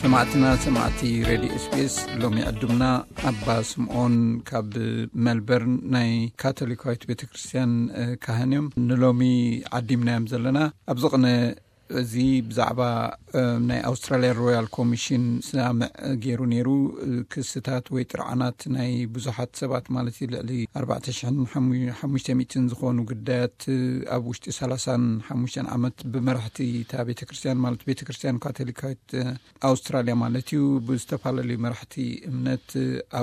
ሰማዕትና ሰማዕቲ ሬድዮ ኤስቢኤስ፣ ሎሚ ዕዱምና ኣባ ስምዖን ካብ ሜልበርን ናይ ካቶሊካዊት ቤተ ክርስቲያን ካህን እዮም። ንሎሚ ዓዲምናዮም ዘለና ኣብዚ ቅነ እዚ ብዛዕባ ናይ ኣውስትራልያ ሮያል ኮሚሽን ሳምዕ ገይሩ ነይሩ። ክስታት ወይ ጥርዓናት ናይ ብዙሓት ሰባት ማለት እዩ፣ ልዕሊ ኣርባዕተ ሽሕን ሓሙሽተ ሚእትን ዝኾኑ ግዳያት ኣብ ውሽጢ ሰላሳን ሓሙሽተን ዓመት ብመራሕቲ እታ ቤተ ክርስቲያን ማለት ቤተ ክርስቲያን ካቶሊካዊት ኣውስትራልያ ማለት እዩ፣ ብዝተፈላለዩ መራሕቲ እምነት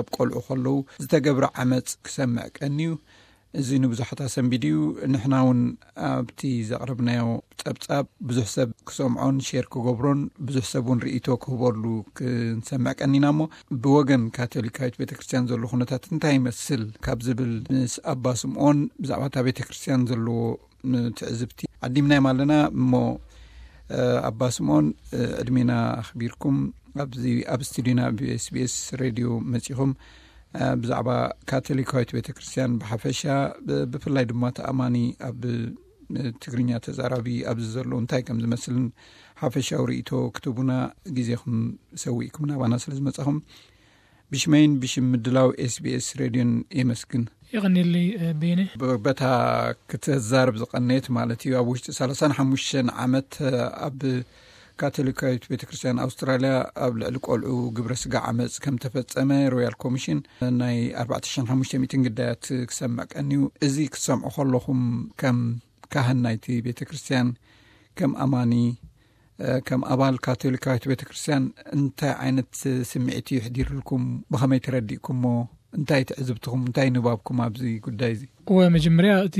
ኣብ ቆልዑ ከለዉ ዝተገብረ ዓመፅ ክሰምዕ ቀንዩ። እዚ ንብዙሓት ኣሰንቢድ እዩ። ንሕና እውን ኣብቲ ዘቕረብናዮ ጸብጻብ ብዙሕ ሰብ ክሰምዖን ሼር ክገብሮን ብዙሕ ሰብ እውን ርእይቶ ክህበሉ ክንሰምዕ ቀኒና። እሞ ብወገን ካቶሊካዊት ቤተክርስትያን ዘሎ ኩነታት እንታይ ይመስል ካብ ዝብል ምስ ኣባ ስምዖን ብዛዕባ እታ ቤተክርስትያን ዘለዎ ትዕዝብቲ ዓዲምናዮም ኣለና። እሞ ኣባ ስምዖን፣ ዕድሜና ኣኽቢርኩም ኣብዚ ኣብ ስቱዲዮና ኣብ ኤስቢኤስ ሬድዮ መጺኹም ብዛዕባ ካቶሊካዊት ቤተክርስትያን ብሓፈሻ፣ ብፍላይ ድማ ተኣማኒ ኣብ ትግርኛ ተዛራቢ ኣብዚ ዘሎ እንታይ ከም ዝመስልን ሓፈሻዊ ርእይቶ ክትቡና ግዜኹም ሰዊእኩም ናባና ስለ ዝመጻኹም ብሽመይን ብሽም ምድላው ኤስቢኤስ ሬድዮን የመስግን። የቐንየለይ፣ በየነ። በታ ክትዛረብ ዝቐነየት ማለት እዩ፣ ኣብ ውሽጢ ሰላሳን ሓሙሽተን ዓመት ኣብ ካቶሊካዊት ቤተክርስትያን ኣውስትራልያ ኣብ ልዕሊ ቆልዑ ግብረ ስጋ ዓመፅ ከም ተፈጸመ ሮያል ኮሚሽን ናይ ኣርባዕተ ሽሕን ሓሙሽተ ሚእትን ግዳያት ክሰምዕ ቀንዩ። እዚ ክትሰምዑ ከለኹም ከም ካህን ናይቲ ቤተክርስትያን፣ ከም ኣማኒ፣ ከም ኣባል ካቶሊካዊት ቤተክርስትያን እንታይ ዓይነት ስምዒት እዩ ሕዲርልኩም? ብኸመይ ተረዲእኩሞ? እንታይ ትዕዝብትኹም? እንታይ ንባብኩም ኣብዚ ጉዳይ እዚ? እወ፣ መጀመርያ እቲ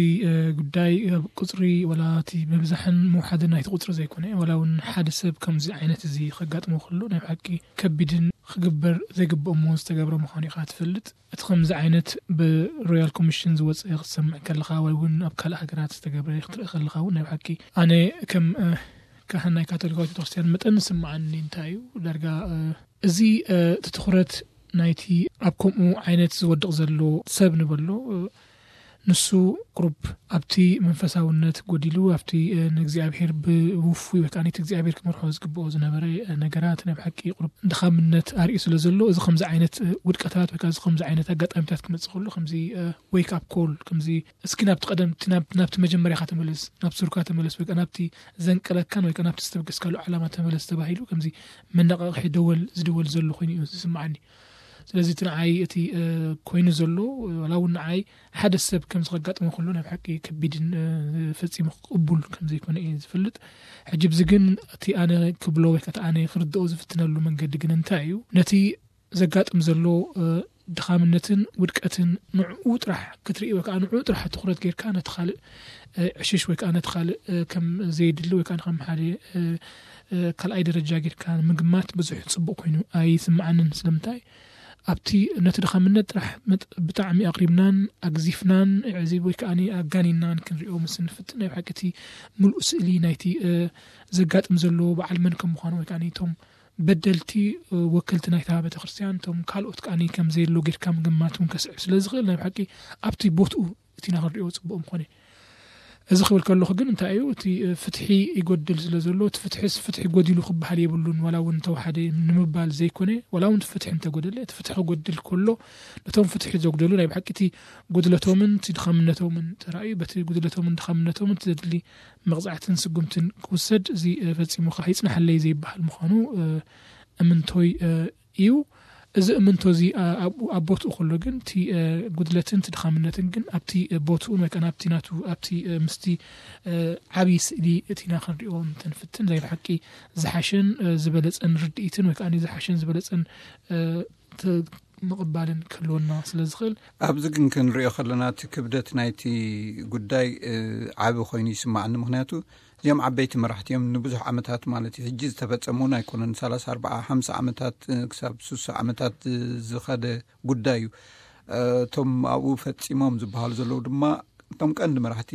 ጉዳይ ኣብ ቁፅሪ ወላ እቲ ምብዛሕን ምውሓድን ናይቲ ቁፅሪ ዘይኮነ፣ ወላ እውን ሓደ ሰብ ከምዚ ዓይነት እዚ ከጋጥሞ ከሎ ናይ ብሓቂ ከቢድን ክግበር ዘይግብኦ እሞ ዝተገብረ ምዃኑ ኢኻ ትፈልጥ። እቲ ከምዚ ዓይነት ብሮያል ኮሚሽን ዝወፀ ክትሰምዕ ከለኻ ወይ እውን ኣብ ካልእ ሃገራት ዝተገብረ ክትርኢ ከለኻ እውን ናይ ብሓቂ ኣነ ከም ካህን ናይ ካቶሊካዊት ቤተክርስትያን መጠን ዝስምዓኒ እንታይ እዩ ዳርጋ እዚ እቲ ትኹረት ናይቲ ኣብ ከምኡ ዓይነት ዝወድቕ ዘሎ ሰብ ንበሎ፣ ንሱ ቁሩብ ኣብቲ መንፈሳውነት ጎዲሉ ኣብቲ ንእግዚኣብሔር ብውፉይ ወይ ከዓ ነቲ እግዚኣብሔር ክመርሖ ዝግብኦ ዝነበረ ነገራት ናይ ብሓቂ ቁሩብ ድኻምነት ኣርእዩ ስለ ዘሎ እዚ ከምዚ ዓይነት ውድቀታት ወይ ከዓ እዚ ከምዚ ዓይነት ኣጋጣሚታት ክመፅእ ከሎ ከምዚ ዌክ ኣፕ ኮል ከምዚ እስኪ ናብቲ ቀደም ናብቲ መጀመርያኻ ተመለስ፣ ናብ ሱርካ ተመለስ ወይ ከዓ ናብቲ ዘንቀለካን ወይ ከዓ ናብቲ ዝተበገስካሉ ዓላማ ተመለስ ተባሂሉ ከምዚ መነቃቕሒ ደወል ዝድወል ዘሎ ኮይኑ እዩ ዝስምዓኒ። ስለዚ እቲ ንዓይ እቲ ኮይኑ ዘሎ ዋላ እውን ንዓይ ሓደ ሰብ ከም ዝኸጋጥሞ ከሎ ናይ ብሓቂ ከቢድን ፈጺሙ ቅቡል ከም ዘይኮነ እየ ዝፈልጥ። ሕጂ ብዚ ግን እቲ ኣነ ክብሎ ወይ ከዓ ኣነ ክርድኦ ዝፍትነሉ መንገዲ ግን እንታይ እዩ ነቲ ዘጋጥም ዘሎ ድኻምነትን ውድቀትን ንዕኡ ጥራሕ ክትርኢ ወይ ከዓ ንዕኡ ጥራሕ ትኹረት ጌርካ ነቲ ካልእ ዕሽሽ ወይ ከዓ ነቲ ካልእ ከም ዘየድሊ ወይ ከዓ ከም ሓደ ካልኣይ ደረጃ ጌርካ ምግማት ብዙሕ ፅቡቅ ኮይኑ ኣይስምዓንን። ስለምንታይ ኣብቲ ነቲ ድኻምነት ጥራሕ ብጣዕሚ ኣቕሪብናን ኣግዚፍናን እዚ ወይ ከዓ ኣጋኒናን ክንሪኦ ምስ ንፍትን ናይ ብሓቂ እቲ ምሉእ ስእሊ ናይቲ ዘጋጥም ዘሎ በዓል መን ከም ምዃኑ ወይ ከዓ ቶም በደልቲ ወከልቲ ናይታ ቤተክርስትያን እቶም ካልኦት ከዓኒ ከም ዘየሎ ጌርካ ምግማት እውን ከስዕብ ስለ ዝኽእል ናይ ብሓቂ ኣብቲ ቦትኡ እቲ ኢና ክንሪኦ ፅቡቅ ምኾነ። እዚ ክብል ከለኹ ግን እንታይ እዩ እቲ ፍትሒ ይጎድል ስለ ዘሎ እቲ ፍትሒስ ፍትሒ ጎዲሉ ክበሃል የብሉን ዋላ እውን ተወሓደ ንምባል ዘይኮነ ዋላ እውን ፍትሒ እንተጎደለ እቲ ፍትሒ ክጎድል ከሎ ነቶም ፍትሒ ዘጉደሉ ናይ ብሓቂ እቲ ጉድለቶምን እቲ ድኻምነቶምን ተራእዩ በቲ ጉድለቶምን ድኻምነቶምን እቲ ዘድሊ መቕፃዕትን ስጉምትን ክውሰድ እዚ ፈፂሙ ከዓ ይፅናሓለይ ዘይበሃል ምዃኑ እምንቶይ እዩ። እዚ እምንቶ እዚ ኣብ ቦትኡ ከሎ ግን እቲ ጉድለትን እቲ ድኻምነትን ግን ኣብቲ ቦትኡን ወይ ከዓ ኣብቲ ናቱ ኣብቲ ምስቲ ዓብዪ ስእሊ እቲና ክንሪኦ እንተንፍትን ናይ ብሓቂ ዝሓሸን ዝበለፀን ርድኢትን ወይ ከዓ ዝሓሸን ዝበለፀን ምቕባልን ክህልወና ስለ ዝኽእል። ኣብዚ ግን ክንሪኦ ከለና እቲ ክብደት ናይቲ ጉዳይ ዓቢ ኮይኑ ይስማዓኒ። ምኽንያቱ እዚኦም ዓበይቲ መራሕቲ እዮም። ንብዙሕ ዓመታት ማለት እዩ። ሕጂ ዝተፈጸሙ እውን ኣይኮነን። ሰላሳ፣ ኣርባዓ፣ ሓምሳ ዓመታት ክሳብ ሱሳ ዓመታት ዝኸደ ጉዳይ እዩ። እቶም ኣብኡ ፈጺሞም ዝበሃሉ ዘለዉ ድማ እቶም ቀንዲ መራሕቲ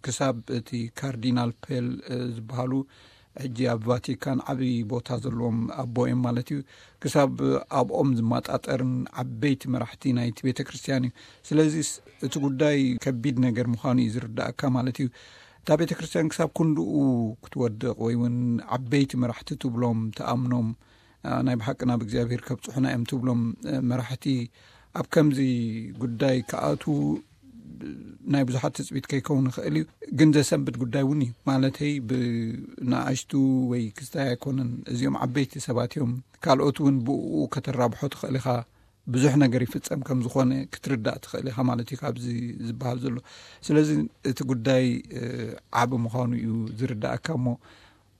ክሳብ እቲ ካርዲናል ፔል ዝበሃሉ ሕጂ ኣብ ቫቲካን ዓብዪ ቦታ ዘለዎም ኣቦ እዮም ማለት እዩ። ክሳብ ኣብኦም ዝመጣጠርን ዓበይቲ መራሕቲ ናይቲ ቤተ ክርስቲያን እዩ። ስለዚ እቲ ጉዳይ ከቢድ ነገር ምዃኑ እዩ ዝርዳእካ ማለት እዩ። እታ ቤተ ክርስቲያን ክሳብ ክንድኡ ክትወድቕ ወይ እውን ዓበይቲ መራሕቲ ትብሎም ትኣምኖም ኣ፣ ናይ ብሓቂ ናብ እግዚኣብሔር ከብጽሑና እዮም ትብሎም፣ እ፣ መራሕቲ ኣብ ከምዚ ጉዳይ ክኣትዉ ናይ ብዙሓት ትጽቢት ከይከውን ይኽእል እዩ፣ ግን ዘሰንብድ ጉዳይ እውን እዩ። ማለተይ ብንኣሽቱ ወይ ክስታይ ኣይኮነን፣ እዚኦም ዓበይቲ ሰባት እዮም። ካልኦት እውን ብኡ ከተራብሖ ትኽእል ኢኻ። ብዙሕ ነገር ይፍጸም ከም ዝኾነ ክትርዳእ ትኽእል ኢኻ ማለት እዩ ካብዚ ዝበሃል ዘሎ። ስለዚ እቲ ጉዳይ፣ እ፣ ዓቢ ምዃኑ እዩ ዝርዳእካ እሞ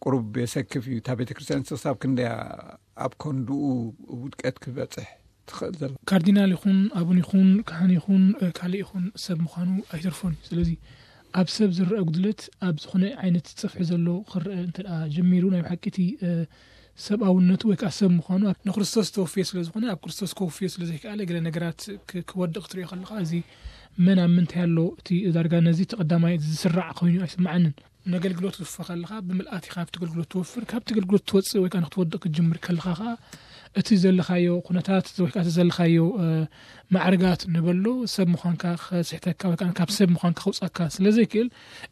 ቁሩብ የሰክፍ እዩ። እታ ቤተ ክርስቲያን ክሳብ ክንደያ ኣብ ከንድኡ ውድቀት ክበጽሕ ትኽእል ዘላ። ካርዲናል ይኹን ኣቡን ይኹን ካህን ይኹን፣ እ፣ ካልእ ይኹን ሰብ ምዃኑ ኣይተርፎን እዩ። ስለዚ ኣብ ሰብ ዝረአ ጉድለት ኣብ ዝኾነ ዓይነት ጽፍሒ ዘሎ ክረአ እንተ ደኣ ጀሚሩ ናይ ብሓቂ እቲ፣ እ፣ ሰብኣውነቱ ወይ ከዓ ሰብ ምዃኑ ኣብ ንክርስቶስ ተወፍዮ ስለ ዝኾነ ኣብ ክርስቶስ ከወፍዮ ስለ ዘይከኣለ ገለ ነገራት ክ-፣ ክወድቕ ክትሪኦ ከለኻ እዚ መን ኣብ ምንታይ ኣሎ እቲ ዳርጋ ነዚ እቲ ቀዳማይ ዝስራዕ ኮይኑ ኣይስምዓንን። ነገልግሎት ትወፍር ከለኻ ብምልኣት ኢኻ ኣብቲ ኣገልግሎት ትወፍር። ካብቲ ኣገልግሎት ትወፅእ ወይ ከዓ ንክትወድቕ ክትጅምር ከለኻ ከዓ እቲ ዘለኻዮ ኩነታት ወይ ከዓ እቲ ዘለኻዮ፣ እ፣ ማዕርጋት ንበሎ ሰብ ምዃንካ ከስሕተካ ወይ ከዓ ካብ ሰብ ምዃንካ ከውፃካ ስለ ዘይክእል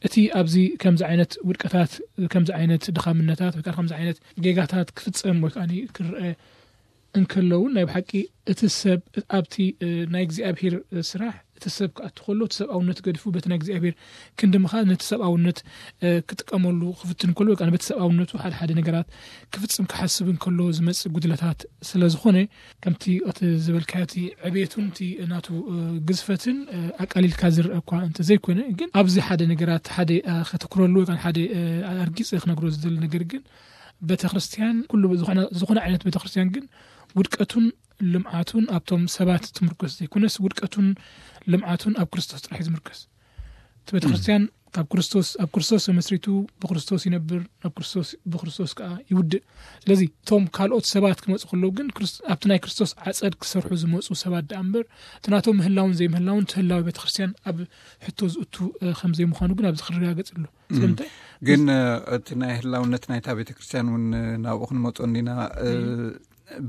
እቲ ኣብዚ ከምዚ ዓይነት ውድቀታት፣ ከምዚ ዓይነት ድኻምነታት ወይ ከዓ ከምዚ ዓይነት ጌጋታት ክፍፀም ወይ ከዓ ክረአ እንከለውን ናይ ብሓቂ እቲ ሰብ ኣብቲ፣ እ፣ ናይ እግዚኣብሔር፣ እ፣ ስራሕ እቲ ሰብ ክኣቱ ከሎ እቲ ሰብኣውነት ገዲፉ በቲ ናይ እግዚኣብሔር ክንዲ ምኻድ ነቲ ሰብኣውነት፣ እ፣ ክጥቀመሉ ክፍትን ከሎ ወይ ከዓ በቲ ሰብኣውነቱ ሓደ ሓደ ነገራት ክፍጽም ክሓስብ እንከሎ ዝመጽእ ጉድለታት ስለ ዝኾነ ከምቲ እቲ ዝበልካዮ እቲ ዕቤቱን እቲ ናቱ፣ እ፣ ግዝፈትን፣ እ፣ ኣቃሊልካ ዝረአ እኳ እንተ ዘይኮነ ግን ኣብዚ ሓደ ነገራት ሓደ፣ እ፣ ከተኩረሉ ወይ ከዓ ሓደ፣ እ፣ ኣርጊጸ ክነግሮ ዝደሊ ነገር ግን ቤተክርስትያን ኩሉ ዝኾነ፣ ዝኾነ ዓይነት ቤተክርስትያን ግን ውድቀቱን ልምዓቱን ኣብቶም ሰባት ትምርኮስ ዘይኮነስ ውድቀቱን ልምዓቱን ኣብ ክርስቶስ ጥራሕ እዩ ዝምርኮስ። እቲ ቤተክርስትያን ካብ ክርስቶስ፣ ኣብ ክርስቶስ ተመስሪቱ ብክርስቶስ ይነብር፣ ናብ ክርስቶስ፣ ብክርስቶስ ከዓ ይውድእ። ስለዚ እቶም ካልኦት ሰባት ክመፁ ከለዉ ግን ክርስ-፣ ኣብቲ ናይ ክርስቶስ ዓፀድ ክሰርሑ ዝመፁ ሰባት ደኣ እምበር እቲ ናቶም ምህላውን ዘይምህላውን እቲ ህላዊ ቤተክርስትያን ኣብ ሕቶ ዝእቱ፣ እ፣ ከም ዘይምዃኑ ግን ኣብዚ ክረጋገጽ ኣሎ። እም። ስለምንታይ? ግን፣ እ፣ እቲ ናይ ህላውነት ናይታ ቤተክርስትያን እውን፣ እ፣ ናብኡ ክንመጾ እንዲና፣ እ፣ እም።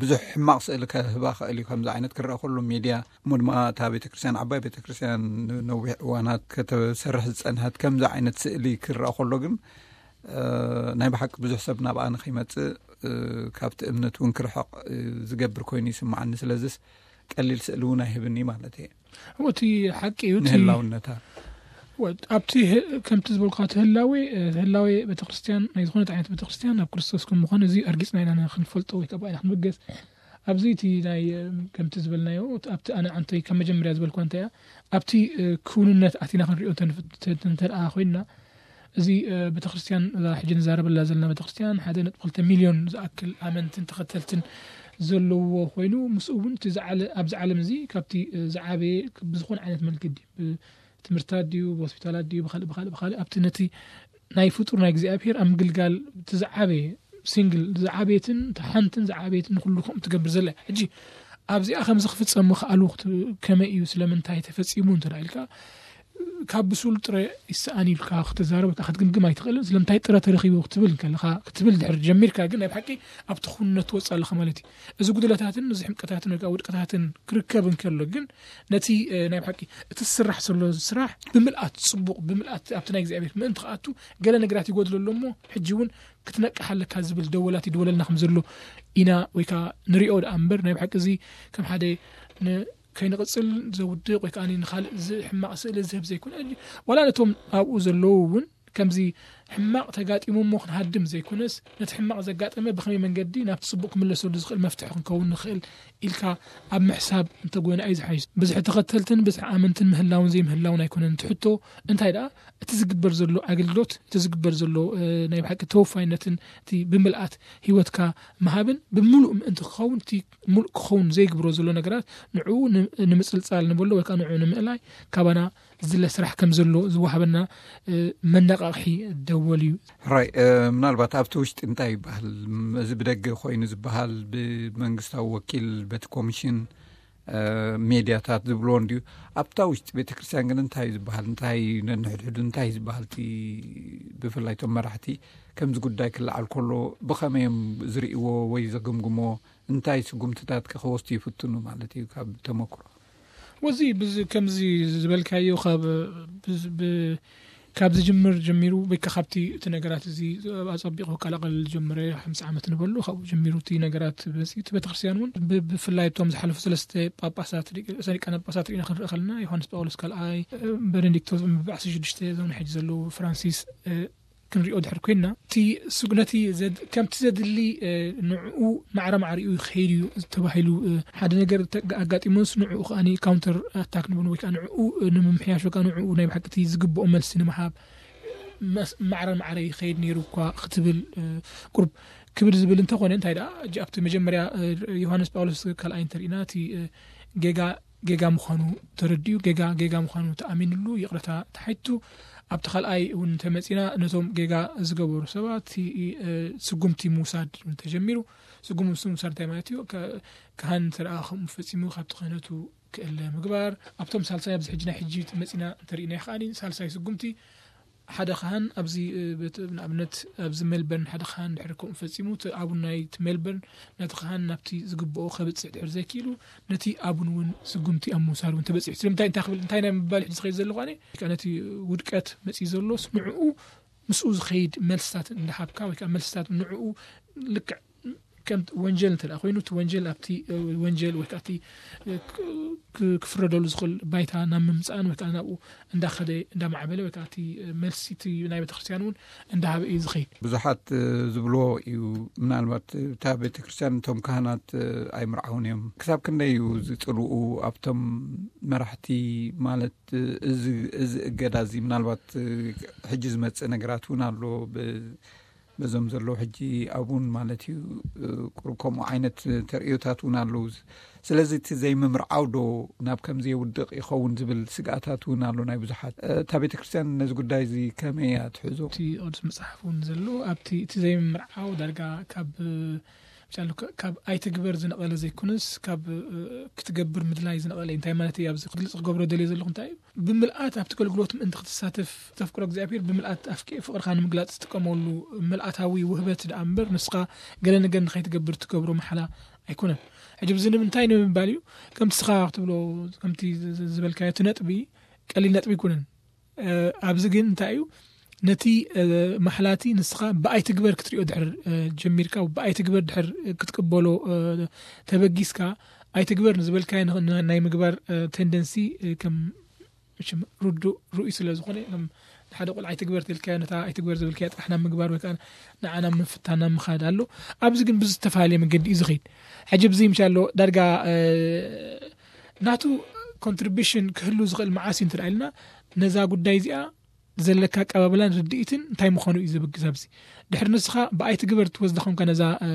ብዙሕ ሕማቕ ስእሊ ከህባ ክእል እዩ። ከምዚ ዓይነት ክረአ ከሎ ሚድያ እሞ ድማ እታ ቤተክርስትያን ዓባይ ቤተክርስትያን ነዊሕ እዋናት ከተሰርሕ ዝጸንሐት ከምዚ ዓይነት ስእሊ ክረአ ከሎ ግን፣ እ፣ ናይ ብሓቂ ብዙሕ ሰብ ናብኣ ንኸይመጽእ፣ እ፣ ካብቲ እምነት እውን ክርሕቕ፣ እ፣ ዝገብር ኮይኑ ይስምዓኒ። ስለዚስ ቀሊል ስእሊ እውን ኣይህብን እዩ ማለት እየ። እወ፣ እቲ ሓቂ እዩ። እቲ ንህላውነታ። እወ፣ ኣብቲ ህ-፣ ከምቲ ዝበልካ እቲ ህላዌ፣ እ፣ ህላዌ ቤተክርስትያን ናይ ዝኾነት ዓይነት ቤተክርስትያን ኣብ ክርስቶስ ከም ምዃኑ እዚ ኣርጊጽና ኢና ክንፈልጦ ወይ ከዓ ኢና ክንብገስ። ኣብዚ እቲ ናይ፣ እ፣ ከምቲ ዝበልናዮ፣ ኣብቲ ኣነ ኣንተይ ካብ መጀመርያ ዝበልኳ እንታይ እያ፣ ኣብቲ፣ እ፣ ክውንነት ኣቲና ክንሪኦ እንተ-፣ እንተ-፣ እንተ ደኣ ኮይንና፣ እዚ፣ እ፣ ቤተክርስትያን፣ እዛ ሕጂ ንዛረበላ ዘለና ቤተክርስትያን ሓደ ነጥቢ ክልተ ሚልዮን ዝኣክል ኣመንትን ተኸተልትን ዘለዎ ኮይኑ፣ ምስኡ እውን እቲ ዝዓለ-፣ ኣብዚ ዓለም እዚ ካብቲ፣ እ፣ ዝዓበየ ብዝኾነ ዓይነት መንገዲ፣ ብትምህርታት ድዩ፣ ብሆስፒታላት ድዩ፣ ብኻልእ፣ ብኻልእ፣ ብኻልእ፣ ኣብቲ ነቲ ናይ ፍጡር ናይ እግዚኣብሔር ኣብ ምግልጋል እቲ ዝዓበየ ሲንግል ዝዓበየትን፣ እታ ሓንትን ዝዓበየትን ንኹሉ ከምኡ ትገብር ዘላ። ሕጂ ኣብዚኣ ከምዚ ክፍጸም ምኽኣሉ ክት-፣ ከመይ እዩ፣ ስለምንታይ ተፈጺሙ እንተ ደኣ ኢልካ፣ ካብ ብሱል ጥረ ይሰኣን ኢልካ ክትዛረብ ወይ ከዓ ክትግምግም ኣይትኽእልን። ስለምንታይ ጥረ ተረኺቡ ክትብል ከለኻ፣ ክትብል ድሕሪ ጀሚርካ ግን ናይ ብሓቂ ኣብቲ ክውንነት ትወጽእ ኣለኻ ማለት እዩ። እዚ ጉድለታትን እዚ ሕምቀታትን ወይ ከዓ ውድቀታትን ክርከብ እንከሎ ግን ነቲ፣ እ፣ ናይ ብሓቂ እቲ ዝስራሕ ዘሎ ስራሕ ብምልኣት ጽቡቕ፣ ብምልኣት ኣብቲ ናይ እግዚኣብሔር ምእንቲ ክኣቱ ገለ ነገራት ይጎድሎ ኣሎ እሞ ሕጂ እውን ክትነቅሕ ኣለካ ዝብል ደወላት ይድወለልና ከም ዘሎ ኢና ወይ ከዓ ንሪኦ ደኣ እምበር ናይ ብሓቂ እዚ ከም ሓደ ን-፣ ከይንቕጽል ዘውድቕ ወይ ከዓ ንኻልእ ዝ-፣ ሕማቕ ስእሊ ዝህብ ዘይኮነ፣ ዋላ ነቶም ኣብኡ ዘለዉ እውን ከምዚ ሕማቕ ተጋጢሙ እሞ ክንሃድም ዘይኮነስ፣ ነቲ ሕማቕ ዘጋጠመ ብኸመይ መንገዲ ናብቲ ጽቡቕ ክምለሰሉ ዝኽእል መፍትሒ ክንከውን ንኽእል ኢልካ ኣብ ምሕሳብ እንተጎይና እዩ ዝሓይሽ። ብዝሒ ተኸተልትን ብዝሒ ኣመንትን ምህላውን ዘይምህላውን ኣይኮነን እቲ ሕቶ። እንታይ ደኣ፣ እቲ ዝግበር ዘሎ ኣገልግሎት፣ እቲ ዝግበር ዘሎ፣ እ፣ ናይ ብሓቂ ተወፋይነትን እቲ ብምልኣት ህይወትካ ምሃብን ብምሉእ ምእንቲ ክኸውን፣ እቲ ምሉእ ክኸውን ዘይግብሮ ዘሎ ነገራት ንዕኡ ን-፣ ንምጽልጻል ንበሎ ወይ ከዓ ንዕኡ ንምእላይ ካባና ዝለ ስራሕ ከም ዘሎ ዝወሃበና፣ እ፣ መነቓቕሒ ደወል እዩ። ሕራይ፣ እ፣ ምናልባት ኣብቲ ውሽጢ እንታይ ይበሃል? ም-፣ እዚ ብደገ ኮይኑ ዝበሃል ብመንግስታዊ ወኪል በቲ ኮሚሽን፣ እ፣ ሜድያታት ዝብልዎ እንድዩ። ኣብታ ውሽጢ ቤተክርስትያን ግን እንታይ እዩ ዝበሃል? እንታይ ነንሕድሕዱ እንታይ እዩ ዝበሃል? እቲ ብፍላይ እቶም መራሕቲ ከምዚ ጉዳይ ክለዓል ከሎ ብኸመይ እዮም ዝርእይዎ ወይ ዘገምግሞ? እንታይ ስጉምትታት ከ ክወስዱ ይፍትኑ ማለት እዩ ካብ ተመክሮ? ወዚ ብዝ-፣ ከምዚ ዝበልካዮ ካብ ብዝ-፣ ብ-፣ ካብ ዝጅምር ጀሚሩ፣ ወይ ከ ካብቲ እቲ ነገራት እዚ ኣጸቢቑ ክቀላቐል ዝጀመረ ሓምሳ ዓመት ንበሉ፣ ካብኡ ጀሚሩ እቲ ነገራት መጺኡ፣ እቲ ቤተክርስትያን እውን ብ-፣ ብፍላይ እቶም ዝሓለፉ ሰለስተ ጳጳሳት፣ ሊቀ-፣ ርእሰ ሊቃነ ጳጳሳት ርኢና ክንርኢ ከለና፣ ዮሃንስ ጳውሎስ ካልኣይ፣ እ፣ በነዲክቶስ በዓሰርተ ሽዱሽተ፣ እዞም ሕጂ ዘለዉ ፍራንሲስ፣ እ፣ ክንሪኦ ድሕር ኮይንና፣ እቲ ስጉ-፣ ነቲ ዘድ-፣ ከምቲ ዘድሊ፣ እ፣ ንዕኡ ማዕረ ማዕሪኡ ይኸይድ እዩ ተባሂሉ፣ እ፣ ሓደ ነገር ተ-፣ ኣጋጢሙስ ንዕኡ ከኣ ካውንተር ኣታክ ንብሎ ወይ ከኣ ንዕኡ፣ እ፣ ንምምሕያሽ ወይ ከኣ ንዕኡ ናይ ብሓቂ እቲ ዝግብኦ መልሲ ንምሃብ መስ-፣ ማዕረ ማዕረ ይኸይድ ነይሩ እኳ ክትብል፣ እ፣ ቁሩብ ክብድ ዝብል እንተኾነ፣ እንታይ ደኣ፣ እጂ ኣብቲ መጀመርያ፣ እ፣ ዮሃንስ ጳውሎስ ካልኣይ እንተሪእና፣ እቲ፣ እ፣ ጌጋ ጌጋ ምዃኑ ተረዲኡ፣ ጌጋ ጌጋ ምዃኑ ተኣሚንሉ፣ ይቕረታ ተሓይቱ። ኣብቲ ካልኣይ እውን እንተመጺና፣ ነቶም ጌጋ ዝገበሩ ሰባት፣ እ፣ ስጉምቲ ምውሳድ እውን ተጀሚሩ። ስጉምቲ ምውሳድ እንታይ ማለት እዩ? ከ-፣ ካህን እንተ ደኣ ከምኡ ፈጺሙ፣ ካብቲ ክህነቱ ክእለ ምግባር። ኣብቶም ሳልሳይ፣ ኣብዚ ሕጂ ናይ ሕጂ መጺና እንተሪእናዮ ከኣ፣ ሳልሳይ ስጉምቲ፣ ሓደ ካህን ኣብዚ፣ እ፣ በት-፣ ንኣብነት ኣብዚ ሜልበርን ሓደ ካህን ድሕሪ ከምኡ ፈጺሙ፣ እቲ ኣቡን ናይቲ ሜልበርን ነቲ ካህን ናብቲ ዝግብኦ ከብጽሕ ድሕሪ ዘይክኢሉ፣ ነቲ ኣቡን እውን ስጉምቲ ኣብ ምውሳድ እውን ተበጺሑ። ስለምንታይ እንታይ ክብል፣ እንታይ ናይ ምባል ሕጂ ዝኸይድ ዘለኹ ኣነ? ከኣ ነቲ ውድቀት መጺኡ ዘሎስ ንዕኡ ምስኡ ዝኸይድ መልስታት እንዳሃብካ ወይ ከኣ መልስታት ንዕኡ ልክዕ ከም ወንጀል እንተ ደኣ ኮይኑ፣ እቲ ወንጀል ኣብቲ፣ እ፣ ወንጀል ወይ ከኣ እቲ፣ እ፣ ክ-፣ ክ-፣ ክፍረደሉ ዝኽእል ባይታ ናብ ምምጻእን ወይ ከኣ ናብኡ እንዳኸደ፣ እንዳማዕበለ ወይ ከኣ እቲ፣ እ፣ መልሲ እቲ ናይ ቤተክርስትያን እውን እንዳሃበ እዩ ዝኸይድ። ብዙሓት፣ እ፣ ዝብልዎ እዩ። ምናልባት እታ ቤተክርስትያን እቶም ካህናት፣ እ፣ ኣይምርዓውን እዮም። ክሳብ ክንደይ እዩ ዝጽልኡ ኣብቶም መራሕቲ? ማለት፣ እ፣ እዚ፣ እዚ እገዳ እዚ ምናልባት፣ እ፣ ሕጂ ዝመጽእ ነገራት እውን ኣሎ። ብ-፣ በዞም ዘለዉ ሕጂ ኣቡን ማለት እዩ፣ እ፣ ቁሩብ ከምኡ ዓይነት ተርእዮታት እውን ኣለዉ። ስለዚ እቲ ዘይምምርዓው ዶ ናብ ከምዚ የውድቕ ይኸውን ዝብል ስግኣታት እውን ኣሎ ናይ ብዙሓት። እ፣ እታ ቤተክርስትያን ነዚ ጉዳይ እዚ ከመይ እያ ትሕዞ? እቲ ቅዱስ መጽሓፍ እውን ዘሎ ኣብቲ፣ እቲ ዘይምምርዓው ዳርጋ ካብ፣ እ፣ ምሳሌ ከ-፣ ካብ ኣይትግበር ዝነቐለ ዘይኮነስ፣ ካብ፣ እ፣ ክትገብር ምድላይ ዝነቐለ እዩ። እንታይ ማለት እዩ? ኣብዚ ክግልጽ ክገብሮ ደልየ ዘለኹ እንታይ እዩ? ብምልኣት ኣብቲ ኣገልግሎት ምእንቲ ክትሳተፍ፣ ተፍቅሮ እግዚኣብሔር ብምልኣት ኣፍቂ-፣ ፍቕርኻ ንምግላጽ ትጥቀመሉ ምልኣታዊ ውህበት ደኣ እምበር፣ ንስኻ ገለ ነገር ንኸይትገብር ትገብሮ ማሕላ ኣይኮነን። ሕጂ፣ ብዚ ንምንታይ ንምባል እዩ? ከምቲ ንስኻ ክትብሎ፣ ከምቲ ዝ-፣ ዝ-፣ ዝበልካዮ፣ እቲ ነጥቢ ቀሊል ነጥቢ ኣይኮነን። እ፣ ኣብዚ ግን እንታይ እዩ? ነቲ፣ እ፣ ማሕላቲ ንስኻ ብኣይ ትግበር ክትሪኦ ድሕር፣ እ፣ ጀሚርካ፣ ብኣይ ትግበር ድሕር ክትቅበሎ፣ እ፣ ተበጊስካ፣ ኣይ ትግበር ንዝበልካዮ ን-፣ ን-፣ ናይ ምግባር፣ እ፣ ቴንደንሲ፣ እ፣ ከም መቸም ርዱእ ርኡይ ስለ ዝኾነ፣ ከም ንሓደ ቆልዓ ኣይ ትግበር ትልካዮ፣ ነታ ኣይ ትግበር ዝብልካዮ ጥራሕ ናብ ምግባር ወይ ከኣ ንዓ ናብ ምፍታን ናብ ምኻድ ኣሎ። ኣብዚ ግን ብዝተፈላለየ መንገዲ እዩ ዝኸይድ። ሕጂ ብዚ ምሻሎ ዳርጋ፣ እ፣ ናቱ ኮንትሪቢሽን ክህሉ ዝኽእል መዓስ እዩ እንተ ኢልና፣ ነዛ ጉዳይ እዚኣ ዘለካ ኣቀባብላን ርድኢትን እንታይ ምዃኑ እዩ ዘበግስ። ኣብዚ ድሕሪ ንስኻ ብኣይ ትግበር ትወስዳ ኾንካ፣ ነዛ፣ እ፣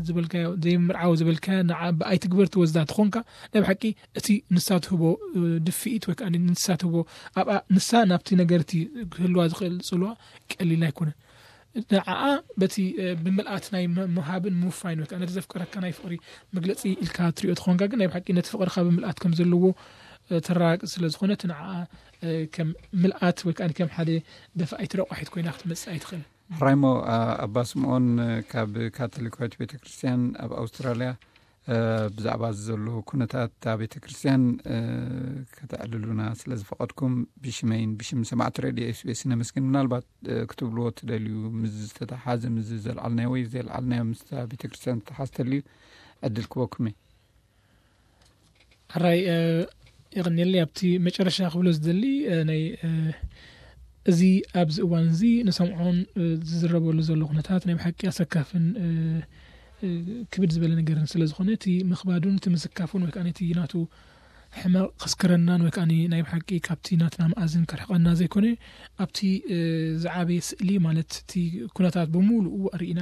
ዝበልካዮ፣ ዘይምርዓው ዝበልካዮ፣ ንዓ ብኣይ ትግበር ትወስዳ ተኾንካ፣ ናይ ብሓቂ እቲ ንሳ ትህቦ፣ እ፣ ድፍኢት ወይ ከኣ ንሳ ትህቦ፣ ኣብኣ ንሳ ናብቲ ነገር እቲ ክህልዋ ዝኽእል ጽልዋ ቀሊል ኣይኮነን። ንዓኣ በቲ፣ እ፣ ብምልኣት ናይ ም-፣ ምሃብን ምውፋይን ወይ ከኣ ነቲ ዘፍቀረካ ናይ ፍቕሪ መግለጺ ኢልካ ትሪኦ ተኾንካ፣ ግን ናይ ብሓቂ ነቲ ፍቕርኻ ብምልኣት ከም ዘለዎ፣ እ፣ ተረጋግጽ ስለ ዝኾነ፣ እቲ ንዓኣ፣ እ፣ ከም ምልኣት ወይ ከኣ ከም ሓደ ደፋኢት ረቋሒት ኮይና ክትመጽእ ኣይትኽእልን። ሕራይሞ፣ ኣ-፣ ኣባ ስምኦን፣ እ፣ ካብ ካቶሊካዊት ቤተክርስትያን ኣብ ኣውስትራልያ፣ እ፣ ብዛዕባ እዚ ዘሎ ኩነታት እታ ቤተክርስትያን፣ እ፣ ከተዕልሉና ስለ ዝፈቐድኩም ብሽመይን ብሽም ሰማዕቲ ሬድዮ ኤስ ቢ ኤስ ነመስግን። ምናልባት፣ እ፣ ክትብልዎ ትደልዩ ምስ ዝተተሓሓዘ፣ ምስ ዘልዓልናዮ ወይ ዘልዓልናዮ ምስታ ቤተክርስትያን ዝተሓዝ ተልዩ ዕድል ክበኩም እየ። ሕራይ፣ እ፣ የቐንየለይ። ኣብቲ መጨረሻ ክብሎ ዝደሊ፣ እ፣ ናይ፣ እ፣ እዚ ኣብዚ እዋን እዚ ንሰምዖን፣ እ፣ ዝዝረበሉ ዘሎ ኩነታት ናይ ብሓቂ ኣሰካፍን፣ እ፣ እ፣ ክብድ ዝበለ ነገርን ስለ ዝኾነ፣ እቲ ምኽባዱን እቲ ምስካፉን ወይ ከኣ እቲ ናቱ ሕመቕ ከስክረናን ወይ ከኣ ናይ ብሓቂ ካብቲ ናትና መኣዝን ከርሕቐና ዘይኮነ፣ ኣብቲ፣ እ፣ ዝዓበየ ስእሊ ማለት እቲ ኩነታት ብምሉኡ ርኢና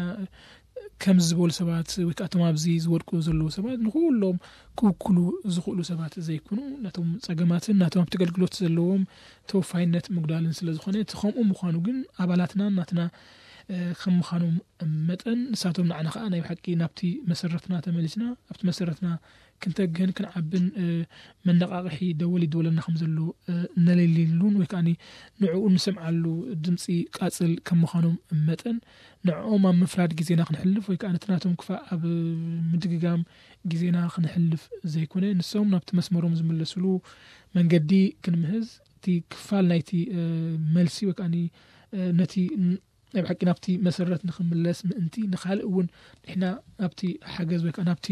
ከም ዝበሉ ሰባት ወይ ከኣ እቶም ኣብዚ ዝወድቁ ዘለዉ ሰባት ንኹሎም ክውክሉ ዝኽእሉ ሰባት ዘይኮኑ፣ ነቶም ጸገማትን ናቶም ኣብቲ ኣገልግሎት ዘለዎም ተወፋይነት ምጉዳልን ስለ ዝኾነ፣ እቲ ከምኡ ምዃኑ ግን ኣባላትናን ናትና፣ እ፣ ከም ምዃኖም መጠን፣ ንሳቶም ንዓና ከኣ ናይ ብሓቂ ናብቲ መሰረትና ተመሊስና፣ ኣብቲ መሰረትና ክንተግህን ክንዓብን፣ እ፣ መነቓቕሒ ደወል ይድወለና ከም ዘሎ፣ እ፣ ነለልየሉን ወይ ከኣ ንዕኡ ንሰምዓሉ ድምጺ ቃጽል ከም ምዃኖም መጠን፣ ንዕኦም ኣብ ምፍራድ ግዜና ክንሕልፍ ወይ ከኣ ነቲ ናቶም ክፋእ ኣብ ምድግጋም ግዜና ክንሕልፍ ዘይኮነ፣ ንሶም ናብቲ መስመሮም ዝምለስሉ መንገዲ ክንምህዝ፣ እቲ ክፋል ናይቲ መልሲ ወይ ከዓ ነቲ ናይ ብሓቂ ናብቲ መሰረት ንክምለስ ምእንቲ ንካልእ እውን ንሕና ናብቲ ሓገዝ ወይ ከዓ ናብቲ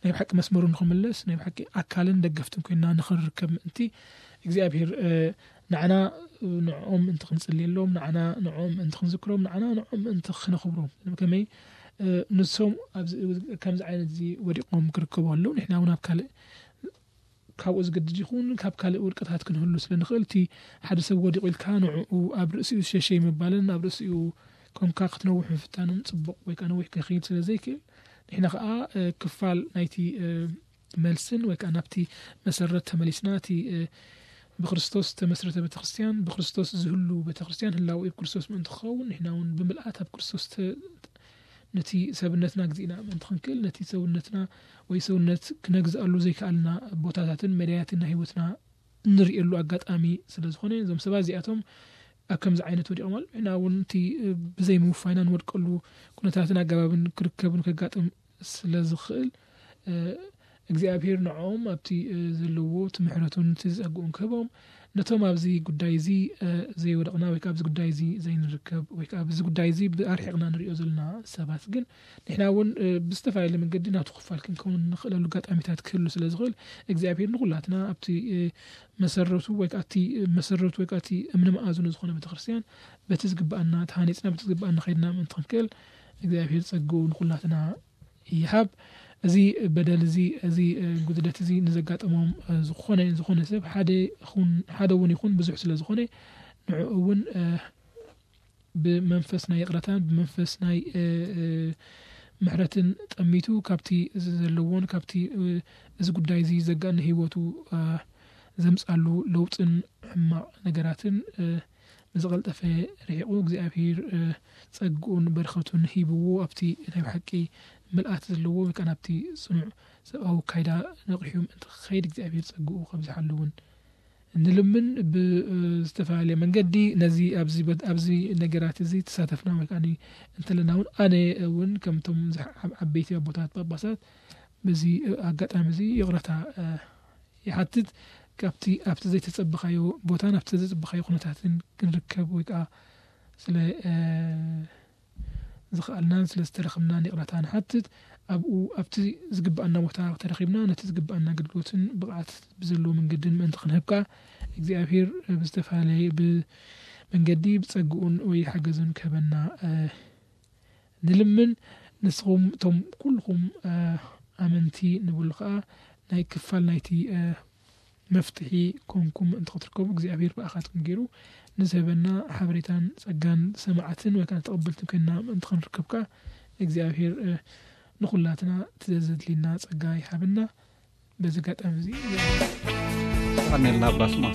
ናይ ብሓቂ መስመሩ ንክምለስ ናይ ብሓቂ ኣካልን ደገፍትን ኮይና ንክንርከብ ምእንቲ እግዚኣብሔር ንዓና ንዕኦም ምእንቲ ክንፅልየሎም ንዓና ንዕኦም ምእንቲ ክንዝክሮም ንዓና ንዕኦም ምእንቲ ክነኽብሮም ከመይ ንሶም ኣብዚ ከምዚ ዓይነት እዚ ወዲቆም ክርከቡ ኣለዉ ንሕና እውን ኣብ ካልእ ካብኡ ዝግድድ ይኹን ካብ ካልእ ውድቀታት ክንህሉ ስለ ንኽእል እቲ ሓደ ሰብ ወዲቑ ኢልካ ንዕኡ ኣብ ርእሲኡ ሸሸይ ምባልን ኣብ ርእሲኡ ኮንካ ክትነውሕ ምፍታንን ፅቡቕ ወይ ከዓ ነዊሕ ከኽይድ ስለ ዘይክእል ንሕና ከዓ ክፋል ናይቲ መልስን ወይ ከዓ ናብቲ መሰረት ተመሊስና እቲ ብክርስቶስ ዝተመስረተ ቤተክርስትያን ብክርስቶስ ዝህሉ ቤተክርስትያን ህላዊ ብ ክርስቶስ ምእንቲ ክኸውን ንሕና እውን ብምልኣት ኣብ ክርስቶስ ነቲ ሰብነትና ግዜና ምእንቲ ክንክእል ነቲ ሰውነትና ወይ ሰውነት ክነግዝኣሉ ዘይከኣልና ቦታታትን መዳያትን ናይ ህይወትና እንርእየሉ ኣጋጣሚ ስለ ዝኾነ እዞም ሰባት እዚኣቶም ኣብ ከምዚ ዓይነት ወዲቖም ኣሎ ኢና እውን እቲ ብዘይ ምውፋይና ንወድቀሉ ኩነታትን ኣገባብን ክርከብ ከጋጥም ስለ ዝኽእል እግዚኣብሔር ንዕኦም ኣብቲ ዘለዎ እቲ ምሕረቱን እቲ ዝጸግኡን ክህቦም ነቶም ኣብዚ ጉዳይ እዚ ዘይወደቕና ወይ ከዓ ኣብዚ ጉዳይ እዚ ዘይንርከብ ወይ ከዓ ኣብዚ ጉዳይ እዚ ብኣርሒቕና ንሪኦ ዘለና ሰባት ግን ንሕና እውን ብዝተፈላለየ መንገዲ ናቱ ክፋል ክንከውን ንኽእለሉ ኣጋጣሚታት ክህሉ ስለ ዝኽእል እግዚኣብሔር ንኩላትና ኣብቲ መሰረቱ ወይ ከዓ እቲ መሰረቱ ወይ ከዓ እቲ እምኒ መኣዝኑ ዝኾነ ቤተክርስትያን በቲ ዝግብኣና ተሃኒፅና በቲ ዝግብኣና ከይድና ምእንቲ ክንክእል እግዚኣብሔር ጸግኡ ንኩላትና ይሃብ። እዚ በደል እዚ እዚ ጉድለት እዚ ንዘጋጠሞም ዝኾነ ዝኾነ ሰብ ሓደ ይኹን ሓደ እውን ይኹን ብዙሕ ስለ ዝኾነ ንዕኡ እውን ብመንፈስ ናይ ይቕረታን ብመንፈስ ናይ ምሕረትን ጠሚቱ ካብቲ ዘለዎን ካብቲ እዚ ጉዳይ እዚ ዘጋኒ ህይወቱ ዘምፃሉ ለውጥን ሕማቕ ነገራትን ብዝቐልጠፈ ርሒቑ እግዚኣብሔር ጸግኡን በረኸቱን ሂብዎ ኣብቲ ናይ ብሓቂ ምልኣት ዘለዎ ወይ ከዓ ናብቲ ጽኑዕ ሰብኣዊ ካይዳ ነቕሑ ምእንቲ ክኸይድ እግዚኣብሔር ጸግኡ ከብዝሓሉ እውን ንልምን ብዝተፈላለየ መንገዲ ነዚ ኣብዚ ነገራት እዚ ተሳተፍና ወይ ከዓ እንተለና እውን ኣነ እውን ከምቶም ዓበይቲ ኣቦታት ጳጳሳት በዚ ኣጋጣሚ እዚ ይቕረታ ይሓትት ካብቲ ኣብቲ ዘይተጸበኻዮ ቦታን ኣብቲ ዘይተጸበኻዮ ኩነታትን ክንርከብ ወይ ከዓ ስለ ዝኽኣልናን ስለ ዝተረኽብናን ይቕረታ ንሓትት ኣብኡ ኣብቲ ዝግብኣና ቦታ ተረኺብና ነቲ ዝግብኣና ኣገልግሎትን ብቕዓት ብዘለዎ መንገድን ምእንቲ ክንህብ ከዓ እግዚኣብሔር ብዝተፈላለየ ብመንገዲ ብጸግኡን ወይ ሓገዙን ክህበና ንልምን ንስኹም እቶም ኩልኹም ኣመንቲ ንብሉ ከዓ ናይ ክፋል ናይቲ መፍትሒ ኮንኩም ምእንቲ ክትርከቡ እግዚኣብሔር ብኣኻትኩም ገይሩ ንዝህበና ሓበሬታን ጸጋን ሰማዕትን ወይ ከዓ ተቐበልትን ኮይንና ምእንቲ ክንርከብ ከዓ እግዚኣብሔር ንኩላትና እቲ ዘድልየና ጸጋ ይሃበና። በዚ ኣጋጣሚ እዚ ኣሜልና ኣባስማ